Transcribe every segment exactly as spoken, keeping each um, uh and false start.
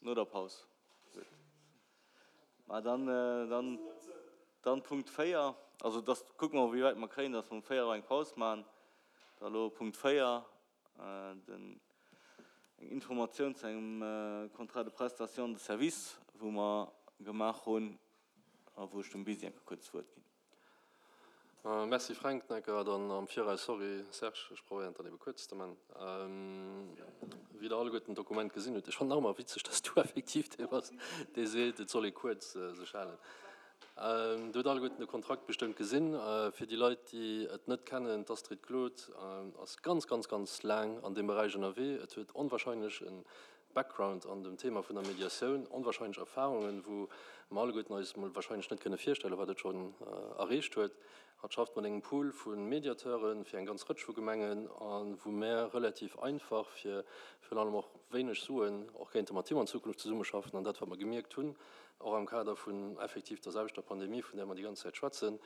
No der Paus. Gutt. Ma dann, dann, dann Punkt véier. Also dass, kucke mer, wéi wäit mer kréien, dass mer um véier Auer eng Paus maachen. Da elo Punkt véier, den, eng Informatioun zu engem Contrat de prestation de services, wou mer gemaach hunn a wou ech dem Bisi eng Kéier kuerz d'Wuert ginn. Merci Fränk Necker. Dann am Viraus sorry Serge, ech probéieren et dann ebe kuerz ze man. Wéi Der alleguerten d'Dokument gesinn hutt, ech fannen nach ëmmer witzeg, dass du effektiv dee bass, dee seet, et soll ee kuerz sech halen. Dir hutt alleguerten de Kontrakt bestëmmt gesinn. Fir déi Leit, déi et net kennen, d'Astrid Claude ass ganz, ganz, ganz laang an deem Beräich ënnerwee. Et huet onwahrscheinlech e Background an dem Thema vun der Mediatioun, onwahrscheinlech Erfahrungen, wou mer alleguerten eis emol wahrscheinlech net kënne virstellen, wat et schonn erreecht huet. Hatt schafft mat engem Pool vu Mediateure fir eng ganz Rëtsch vu Gemengen a wou mär relativ einfach fir virun allem och wéineg Suen och kéinte mat him an Zukunft zesummeschaffen. An dat, wat mer gemierkt hunn, och am Kader vun effektiv der selwechter Pandemie, vun där mer déi ganz Zäit schwätzen,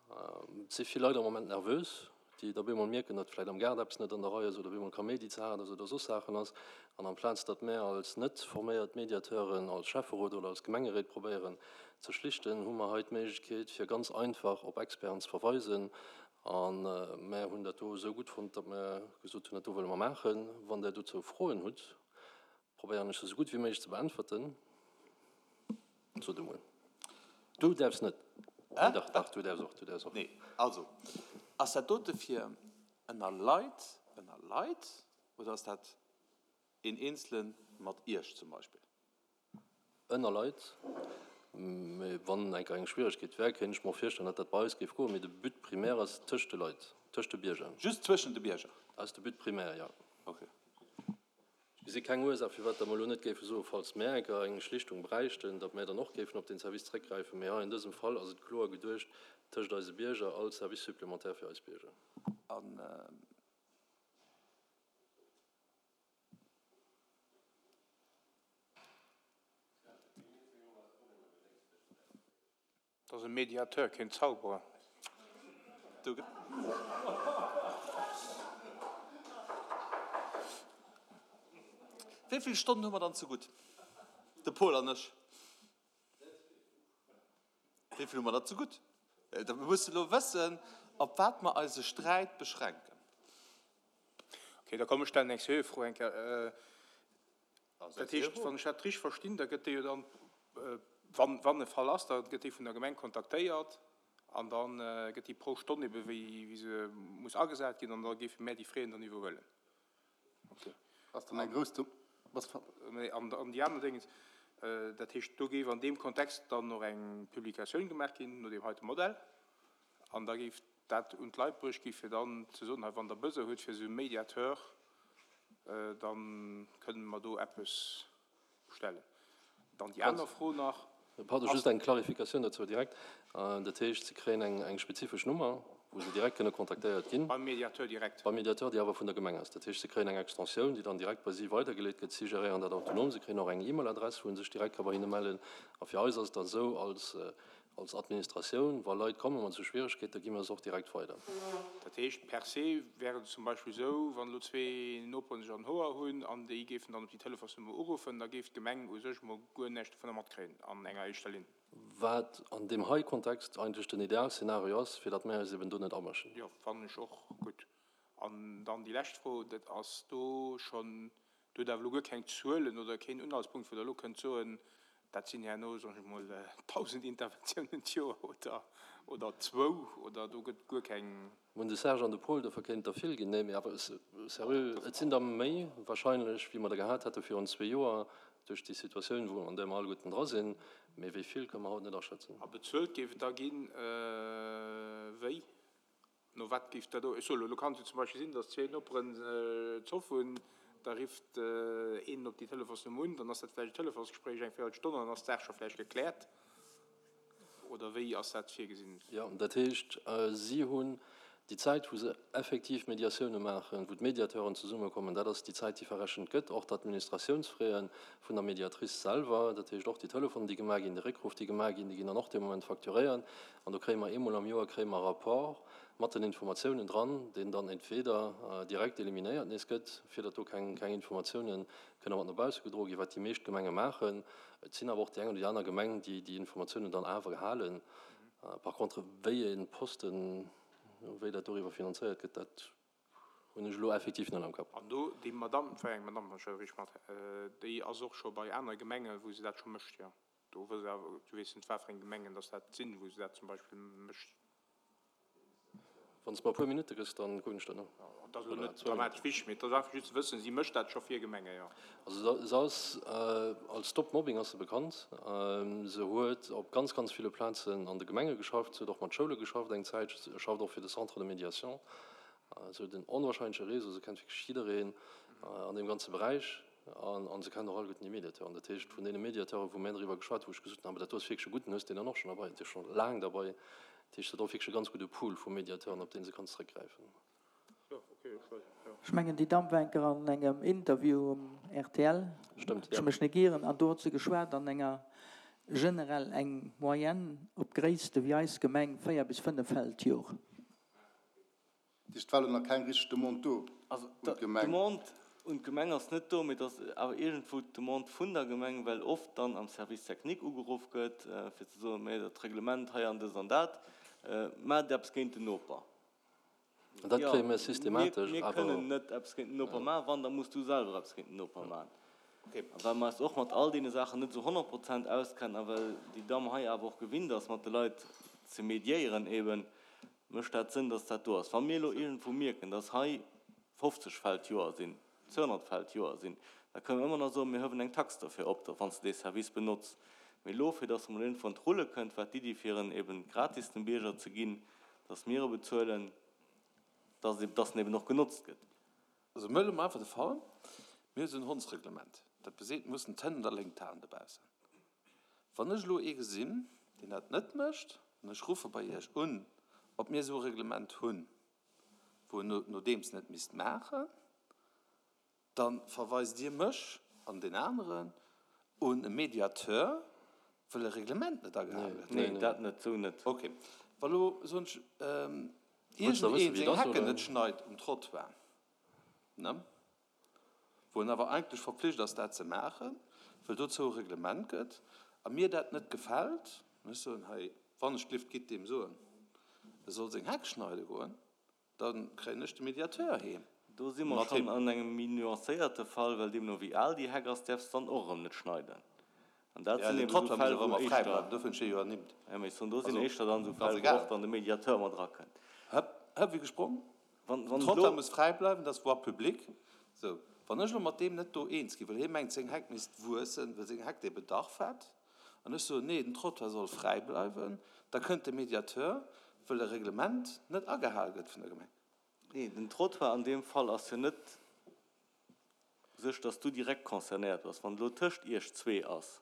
Et si vill Leit am Moment nervös, déi da bemol mierken, datt vläicht am Gaart eppes net an der Rei ass oder bemol Kaméidi ze haart ass oder soss Saachen ass. An amplaz datt mär als net forméiert Mediateuren, als Schäfferot oder als Gemengeréit probéieren ze schlichten, hu mer hei d'Méiglechkeet fir ganz einfach op Experten ze verweisen. A mär hunn dat do esou gutt fonnt, datt mär gesot hunn, dat do wëlle mer maachen. Wann Der dozou Froen hutt, probéieren ech se esou gutt wéi méiglech ze beäntwerten. Sot emol. Du däerfs net. Nee, dach, dach, du däerfs och, du däerfs och. Nee, also, ass dat dote fir ënner Leit, ënner Leit, oder ass dat een Eenzele mat Iech zum Beispill? Ënner Leit. Mee wann eng Kéier eng Schwieregkeet wär, kéint ech mer och virstellen, datt dat bei eis géif goen. Mee de But primaire ass tëscht de Leit, tëscht de Bierger. Just zwëschen de Bierger? Dat ass de But primaire, jo. Okay. Ech gesi keng Ursaach, firwat datt mer elo net géife soen, falls mär eng Kéier eng Schlichtung bräichten, datt mär dann och géifen op deen Service zréckgräifen. Mee hei an dësem Fall ass et kloer geduecht tëscht eise Bierger als Service supplémentaire fir eis Bierger. An Dat ass e Mediateur, keen Zauberer. Wéi vill Stonnen hu mer dann zegutt, de Paul an ech? Wéi vill hu mer der zegutt? Mir mussen elo wëssen, op wat mer eise Sträit beschränken. Okay, da komm ech stellen eng seriö Fro eng Kéier. Dat heescht, wann ech dat richteg verstinn, da gëtt dee jo dann, wann, wann e Fall ass, da gëtt dee vun der Gemeng kontaktéiert an da gëtt déi pro Stonn ebe wéi, wéi se muss agesat ginn an da géife mär déi Fräen dann iwwerhuelen. Okay. Ass dann eng grouss Do, was ver. An, an déi aner Déngens, dat heescht, do géif an deem Kontext dann och eng Publikatioun gemaach ginn no deem heite Modell an da géif dat un d'Leit bruecht gi fir dann ze soen, hei wann Der Besoin hutt fir esou e Médiateur, da kënnen mer do eppes stellen. Dann déi aner Fro nach. Pardon, just eng Clarificatioun dozou direkt. Dat heescht, se kréien eng eng spezifesch Nummer, wou se direkt kënne kontaktéiert ginn. Beim Médiateur direkt? Beim Médiateur, déi awer vun der Gemeng ass. Dat heescht, se kréien eng Extensioun, déi dann direkt bei si weidergeleet gëtt. Si geréieren dat autonom. Se kréien och eng E-Mail-Adress, wou se sech direkt ka bei hinne mellen. A fir eis ass et dann esou, als Als Administratioun, wa Leit komme mat esou Schwieregkeeten, da gi mer se och direkt weider. Dat heescht, per se wär et zum Beispill esou, wann elo zwee Noperen sech an den Hoer hunn an déi géifen dann op déi Telefonsnummer uruffen, da géif d'Gemeng u sech emol guer näischt dovunner matkréien an enger éischter Linn. Wat an deem hei Kontext eigentlech den Idealszenario ass, fir datt mär eis eben do net amëschen. Jo, fannen ech och gutt. An dann déi lescht Fro, dat ass do schonn Do hutt Der awer elo guer keng Zuelen oder keen Unhaltspunkt, wou Der elo kënnt soen, dat sinn herno, soen ech emol, tausend Interventiounen d'Joer oder, oder zwou, oder do gëtt guer keng. Mir hunn de Serge an de Paul, dofir kéint et der vill ginn. Nee, mee awer seriö, et sinn der méi wahrscheinlech, wéi mer der gehat hätte virun zwee Joer, duerch déi Situatioun, wou, an där mer alleguerten dra sinn. Mee wéi vill, kënne mer haut net aschätzen. A bezuelt géif et da ginn, wéi? No wat géif dat, ech soe lo, lo kann et jo zum Beispill sinn, datt zwee Noperen Zoff hunn, da rifft een op déi Telefonsnummer un, dann ass dat vläicht e Telefonsgespréich eng Véierelstonn an dann ass d'Saach scho vläicht gekläert. Oder wéi ass dat virgesinn? Jo, dat heescht, si hunn déi Zäit, wou se effektiv Mediatioune maachen, wou d'Mediateuren zesummekommen, dat ass déi Zäit, déi verrechent gëtt, och d'Administratiounsfraie vun der Mediatrice selwer, dat heescht och déi Telefonen, déi gemaach ginn, de Réckruff, déi gemaach ginn, déi ginn dann och dee Moment facturéiert. An do kréie mer eemol am Joer kréie mer e Rapport, mat den Informatiounen dran, deen dann entweder direkt eliminéiert nees gëtt, fir datt do keng Informatiounen kënne mat no bausse gedroe ginn, wat déi meescht Gemenge maachen. Et sinn awer och déi eng oder déi aner Gemeng, déi déi Informatiounen dann awer halen. Par contre, wéi ee Posten, wéi dat doriwwer finanzéiert gëtt, dat hunn ech elo effektiv net am Kapp. An do, déi Madamm, et war eng Madamm, wann ech dat richteg mat, déi ass och scho bei anere Gemengen, wou se dat scho mécht, jo. Do wëss ech awer, du weess net, wat fir eng Gemengen dass dat sinn, wou se dat zum Beispill mécht. Wann s de mer e puer Minutte gëss, da kucken ech dat no. Dat ass elo net dramatesch wichteg, mee et ass einfach just ze wëssen, si mécht dat scho fir Gemenge, jo. Also se ass als Stop Mobbing ass se bekannt. Se huet op ganz, ganz ville Plazen an de Gemenge geschafft. Se huet och mat Schoule geschafft eng Zäit. Se schafft och fir de Centre de médiation. Se huet en onwahrscheinleche Réseau. Se kennt wierklech jiddereen an deem ganze Beräich an se kennt och alleguerten déi Mediateuren. Dat heescht, vun deene Mediateuren, wou mir driwwer geschwat hunn, wou ech gesot hunn, awer dat do ass wierklech e gudden, hues deen dann och schonn derbei, dee ass scho laang derbei. Dat heescht, se huet och wierklech e ganz gudde Pool vu Mediateuren, op dee se kann zeréckgräifen. Ech mengen, déi Damm war eng Kéier an engem Interview um rtl, Stëmmt, ech jo. mech net ieren, an do huet se geschwat an enger generell eng Moyenne op Gréisste wéi eis Gemeng, véier bis fënnef Fäll d'Jor. Dat heescht, et war elo nach keng richteg Demande do Also un d'Gemeng? d'Demande un d'Gemeng ass net do, mee et ass awer iergendwou d'Demande vun der Gemeng, well oft dann am Service technique ugeruff gëtt, fir ze soen, Mee dat Reglement hei an dëst an dat, maacht eppes géint den Noper. An dat Jo, kréie mir mir, systematesch mir awer. kënnen net eppes géint den Noper maachen, wann, da muss du selwer eppes géint den Noper maachen. A well mer eis och mat all deene Saachen net esou honnert Prozent auskennen a well déi Damm hei awer och gewinnt ass, mat de Leit ze mediéieren eben, mécht dat Sënn, dass dat do ass. Wa mir elo iergendwou mierken, dass hei fofzeg Fäll d'Joer sinn, zweehonnert Fäll d'Joer sinn, da kënnen mer ëmmer nach soen, mir hëwen eng Tax derfir op, wann s de dee Service benotz. Mee elo, fir dass emol iergendwou an d'Rulle kënnt, war d'Iddi, fir en eben gratis dem Bierger ze ginn, dass mir e bezuelen, dass e, dass en eben och genotzt gëtt. Also mir huele mol einfach de Fall, mir hu sou en Hondsreglement, dat beseet, mir mussen d'Hënn un der Léngt halen dobaussen. Wann ech elo ee gesinn, deen dat net mécht, an ech ruffe bei Iech un, ob mir esou e Reglement hunn, wou en nodeems net misst maachen, da verweist Dir mech an deen aneren un e Mediateur, well e Reglement net agehale gëtt? Nee, dat net, esou net. Okay. Wa lo, soen ech, iergendeen seng Hecken net schneit um Trottoir, ne, wou en awer eigentlech verpflicht ass, dat ze maachen, well dozou e Reglement gëtt, a mir dat net gefält, an ech soen, hei, wann ech d'Lift gitt deem soen, e soll seng Heck schneide goen, da kréien ech de Mediateur heem. Do si mer schonn an engem méi nuancéierte Fall, well deemno wéi al déi Heck ass, däerfs de dann och erëm net schneiden. An dat sinn eben esou Fäll, wou éischter, jo, mee ech soen, do sinn éischter dann esou Fäll, wou och dann de Mediateur mat erakënnt. Hëpp, hëpp, wéi gesprong. Den Trottoir muss fräi bleiwen, dat ass Voie publique. Sou, wann ech elo mat deem net do eens ginn, well hie mengt, seng Heck misst wuessen, well seng Heck dee Bedarf hätt, an ech soen, nee, den Trottoir soll fräi bleiwen, da kënnt de Mediateur, well e Reglement net agehal gëtt vun der Gemeng. Nee, den Trottoir an deem Fall ass jo net u sech, dass du direkt concernéiert bass. Wann elo tëscht iech zwee ass,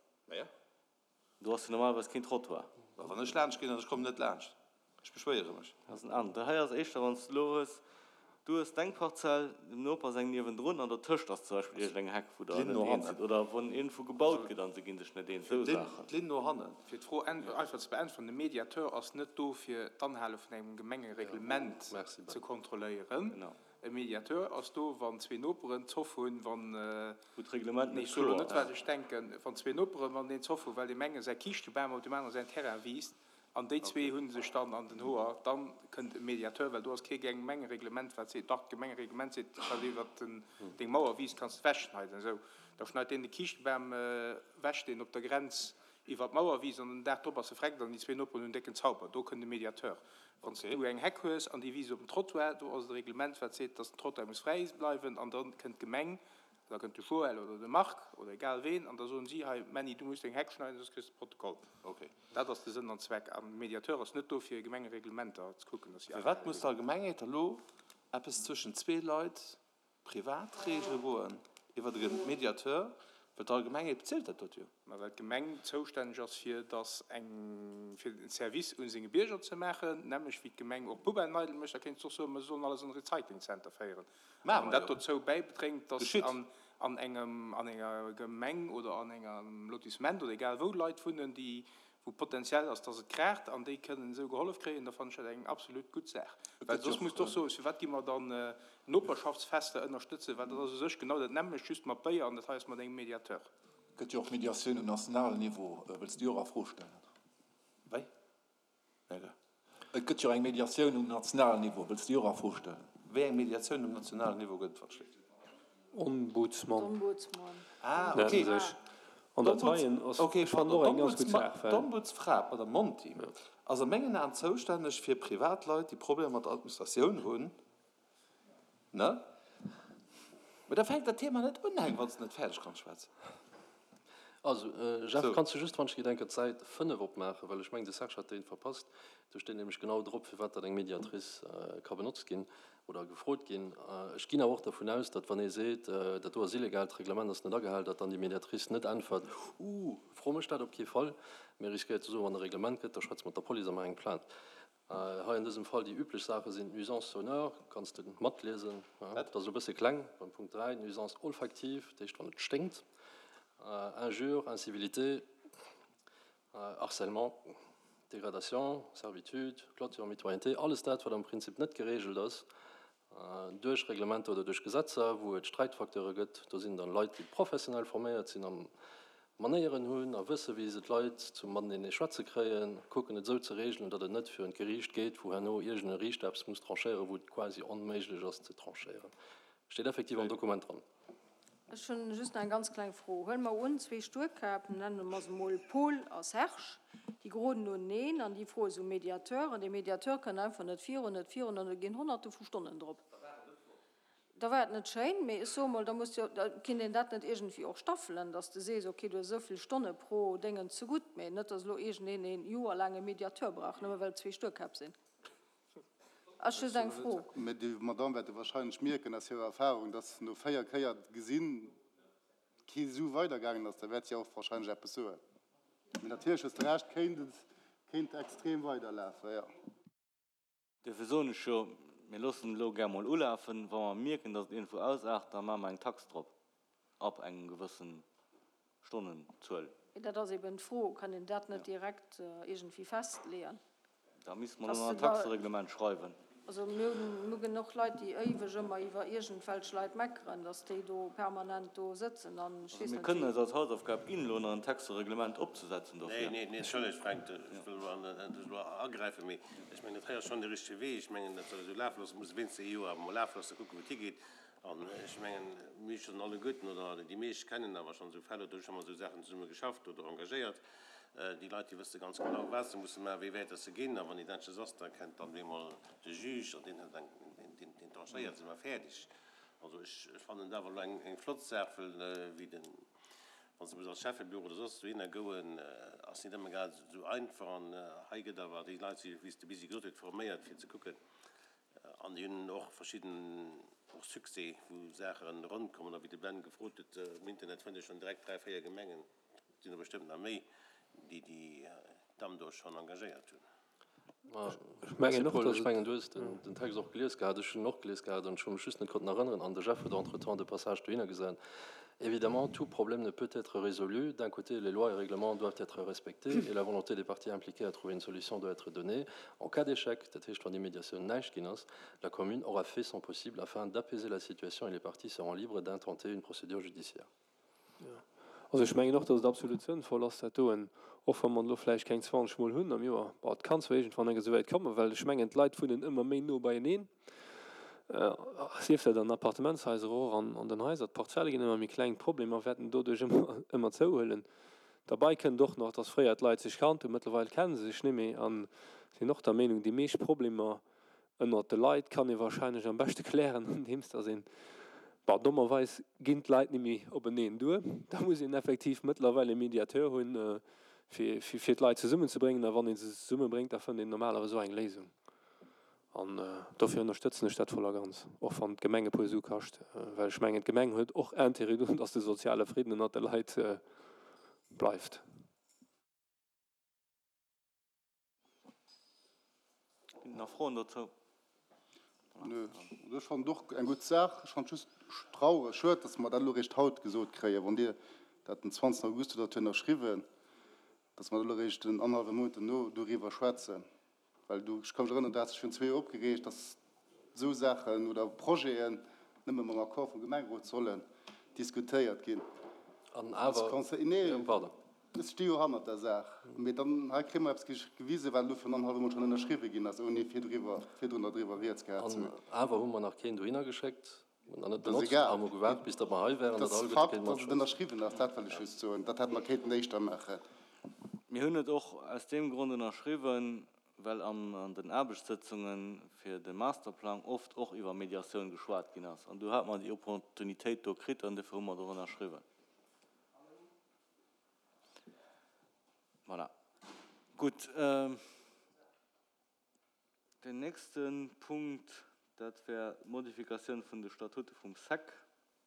do ass jo normalerweis keen Trottoir. Mä wann ech laanscht ginn an ech kommen net laanscht, ech beschwéiere mech. Dat ass en aneren. Dat hei ass éischter, wann s de elo hues, du hues deng Parzell, dem Noper seng niewendrun an dertëscht ass zum Beispill iergendeng Heck, wou der net eens sidd oder wou iergendwou gebaut gëtt an se gi sech net eens, esou Saachen. D'Linn no hannen. Fir d'Fro einfach ze beäntweren, De Mediateur ass net do, fir d'Anhale vun engem Gemengereglement ze kontrolléieren. E Mediateur ass do, wann zwee Noperen Zoff hunn, wann, Wou d'Reglement nee, net ech soe lo kloer net, wat ass. ech denken, wann zwee Noperen, wann een Zoff hu well deem enge säi Kiischtebam op deem anere säin Terrain wiisst, An déi zwee hu sech dann an den Hoer. Da kënnt e Mediateur, well do ass kee Gemengereglement, wat seet, dach, d'Gemengereglement seet, wat iwwert deng Mauer wiisst, kanns de ewechschneiden. Esou, da schneit deen de Kiischtebam ewech, deen op der Grenz iwwert d'Mauer wiisst, an den Dag drop ass e vreckt an déi zwee Noperen hunn décken Zauber. Do kënnt e Mediateur. Wann s du eng Heck hues an déi wiisst op den Trottoir, do ass et e Reglement, wat seet, dass den Trottoir muss fräi bleiwen, an da kënnt d'Gemeng Da kënnt de Joël oder de Marc oder egal ween an da soen si, hei Männi, du muss deng Heck schneiden, soss kriss de Protokoll. Dat ass de Sënn an Zweck. An de Mediateur ass net do fir Gemengereglementer ze kucken, dass si Firwat agehale muss ginn. d'Allgemengheet elo eppes zwëschen zwee Leit privat reegele goen iwwert e Mediateur, well d'Allgemengheet bezilt dat dot jo? Ma well d'Gemeng zoustänneg ass fir dass eng, fir en Service u senge Bierger ze maachen, nämlech wéi d'Gemeng och Poubellen eidel mécht. Da kéints de och soen, mer sollen alles an e Recyclingcenter féieren. A Maache wann mer dat jo. dozou bäibedréngt, dass Geschitt. an an engem, an enger Gemeng oder an engem Lotissement oder egal wou Leit wunnen, déi wou potenziell ass, dass et kraacht an déi kënnen esou gehollef kréien, da fannen ech dat eng absolut gutt Saach. Well soss muss de och soen, firwat gi mer dann Noperschaftsfester ënnerstëtzen, well dat ass u sech genau dat nämmlecht, just mat Béier an dat hei ass mat engem Mediateur. Et gëtt jo och Mediatioun um nationalen Niveau. Wëlls de déi och a Fro stellen? Wéi? Nege. Et gëtt jo eng Mediatioun um nationalen Niveau. Wëlls de déi och a Fro stellen? Wéi eng Mediatioun um nationalen Niveau gëtt et, wat schléit? Ombudsman. D'Ombudsman. Ah, Nennen okay. sech. An dat heien ass, Okay, ech fannen pardon, och eng ganz gutt d'Ombudsma, Saach, well. d'Ombudsfra, d'Madame Monti, ass a mengen Aen zoustänneg fir Privatleit, déi Problemer mat der Administratioun hunn, ne? Mä da fänkt dat Thema net un, Heng, wann s de net fäerdeg kanns schwätzen. Also, Jeff, Sou. kanns du just, wann ech gedenken, d'Säit fënnef opmaachen, well ech mengen, de Serge hat déi verpasst. Do steet nämlech genau drop, firwat dat eng Mediatrice ka benotzt ginn oder gefrot ginn. Ech ginn awer och dervun aus, datt, wann ee seet, dat do ass illegal, d'Reglement ass net agehal, datt dann déi Mediatrice net äntwert, Uuh, fro mech dat op kee Fall, mee riskéiert ze soen, wann e Reglement gëtt, da schwätze mat der Police a maach eng Plainte. Hei an dësem Fall déi üblech Saache sinn d'Nuisances sonores, kanns de matliesen, dat ass elo e bësse kleng beim Punkt dräi, d'Nuisance olfactive, dat heescht wann et sténkt, Injures, Incivilité, Harcèlement, Dégradation, Servitude, Clôture, Mitoyenneté, alles dat wat am Prinzip net geregelt ass duerch Reglementer oder duerch Gesetzer, wou et Sträitfacteure gëtt. Do sinn dann Leit, déi professionell forméiert sinn a Manéieren hunn a wësse wéi se d'Leit zum matenee schwätze kréien, kucken et esou ze regelen, datt et net virun d'Geriicht geet, wou herno iergend e Riichter eppes muss tranchéieren, wou et quasi onméiglech ass ze tranchéieren. Steet effektiv am Dokument dran. Ech hunn just nach eng ganz kleng Fro. Huele mer un, zwee Stuerkäpp, nenne mer se mol Paul a Serge, déi geroden uneneen an déi froe sou Mediateur an dee Mediateur kënnt einfach net virun, net virun an do ginn Honnerte vu Stonnen drop. Da war et net schéin, mee ech soe mol, da muss jo, da kinnt een dat net iergendwéi och staffelen, dass de sees, okay, du hues esou vill Stonne pro Déngen zegutt, mee net, dass elo iergendeen een joerlaang e Mediateur brauch, nëmme well et zwee Stuerkäpp sinn. Ass just eng Fro. Mä déi Madame wäerte wahrscheinlech mierken aus hirer Erfahrung, dass no véier Kéier gesinn kee Su weidergaangen ass. Da wäert si och wahrscheinlech eppes soen. Mee natierlech hues de Recht, kéint et, kéint extrem weiderlafen, jo. Duerfir soen ech jo, mir loossen et elo gär mol ulafen. Wa mer mierken, dass et iergendwou ausaart, da maache mer eng Tax drop, ab engem gewëssen Stonnenzuel. Mee dat ass eben d'Fro, Kann een dat net direkt iergendwéi festleeën? Da misste mer elo nach en Taxereglement schreiwen. Also mir hunn genuch Leit, déi éiweg ëmmer iwwer iergendwelch Leit meckeren, datt déi do permanent do sëtzen an ech Also weess mir net kënnen wéi. eis als Hausaufgab ginn, elo nach en Taxereglement opzesetzen dofir. Neen, neen, entschëllegt Fränk, ech wëll elo net elo agräifen, mee ech mengen, dat hei ass schonn de richtege Wee. Ech mengen, dat soll esou lafe loossen, muss wéinst ee Joer awer emol lafe loossen, kucken, wou et higeet. An ech mengen, mir hu schonn alleguerten, oder déi meescht kennen awer schonn esou Fäll oder hu scho mol esou Saachen zesumme geschafft oder engagéiert. Déi Leit, déi wësse ganz genau, wat se musse maachen, wéi wäit dass se ginn. A wann et näischt ass, da kennt dann bemol de Juge an deen huet eng, deen, deen tranchéiert, si mer fäerdeg. Also ech fannen dat awer elo eng, eng flott Saach, well wéi den, wann s de muss als Schäffebüro oder soss dohinner goen, ass net ëmmer grad esou einfach. An hei gëtt awer, déi Leit si, wéi s de bis gesot huet, forméiert fir ze kucken. An déi hunn och verschidden och Succès, wou Saache ronn kommen. A wéi de Ben gefrot huet, um Internet fënnt ee schonn direkt dräi, véier Gemengen, et sinn der bestëmmt nach méi, déi déi Damm do schonn engagéiert hunn. Ech mengen och, Paul, dass ech et. mengen, du hues den Text och gelies gehat. Ech hunn en och gelies gehat an ech hu mech just net konnten erënneren. An de Jeff huet entretemps de Passage dohinner gesat. Évidemment, tout problème ne peut être résolu. D'un côté, les lois et règlements doivent être respectés et la volonté des parties impliquées à trouver une solution doit être donnée. En cas d'échec, dat heescht, wann déi Mediatioun näischt ginn ass, la commune aura fait son possible afin d'apaiser la situation et les parties seront libres d'intenter une procédure judiciaire. Also ech mengen och, datt et absolut sënnvoll ass, dat doen, och wa mer elo vläicht keng zwanzeg Mol hunn am Joer. Bon, et kann zwar iergendwann eng Kéier esouwäit kommen, well ech mengen, d'Leit wunnen ëmmer méi no beieneen, sief dat an Appartementshaiser och an an den Haiser. D'Parzelle ginn ëmmer méi kleng, d'Problemer wäerten doduerch ëmmer ëmmer zouhuelen. Derbäi kënnt och nach, datt fréier d'Leit sech kannt hunn, mëttlerweil kenne se sech net méi a sinn och der Meenung, déi meescht Problemer ënnert de Leit kann ee wahrscheinlech am beschte klären, andeems datt een, bon, dommerweis ginn d'Leit net méi openeen duer, da muss een effektiv mëttlerweil e Mediateur hunn, fir, fir d'Leit zesummenzebréngen. A wann ee se zesummebréngt, da fënnt een normalerweis och eng Léisung. An dofir ënnerstëtzen ech dat voll a ganz, och wann d'Gemeng e puer Su kascht, well ech mengen, d'Gemeng huet och Intérêt drun, datt de soziale Fridden ënnert de Leit bleift. Ginn et nach Froen dozou? Nö, also ech fannen et och eng gutt Saach. Ech fannen et just traureg, schued, datt mer dat elo eréischt haut gesot kréien. Wann Dir dat den zwanzegsten August hutt dat ënnerschriwwen, Dass mer elo eréischt en annerhallwe Mount duerno doriwwer schwätzen. Well do, ech ka mech erënneren, do hat sech virun zwee Joer opgereegt, dass esou Saachen oder Projeten nëmme mam Accord vum Gemengerot sollen diskutéiert ginn. An awer, Nee, pardon. Ech sti jo hannert der Saach. Mee dann, hei kréie mer eppes gewisen, wat elo virun annerhallwem Mount schonn ënnerschriwwe ginn ass, ouni virdriwwer, virdrun doriwwer rieds gehat ze An hunn. awer hu mer nach keen dohinner geschéckt. Mir hunn nach net Dat ass benotzt egal. a hu gewaart, bis datt mer hei wären, Et datt ass alleguerte Fakt, kéinte datt et matschwätzen. ënnerschriwwen ass, dat wëll ech just soen. Dat hätte mer kéinten éischter maachen. Mir hunn et och aus deem Grond ënnerschriwwen, well an den Aarbechtssëtzunge fir de Masterplang oft och iwwer Mediatioun geschwat ginn ass. An do hate mer déi Opportunitéit do kritt an dofir hu mer et och ënnerschriwwen. Voilà. Gutt. Deen nächste Punkt, dat wär d'Modifikatioun vun de Statute vum sec.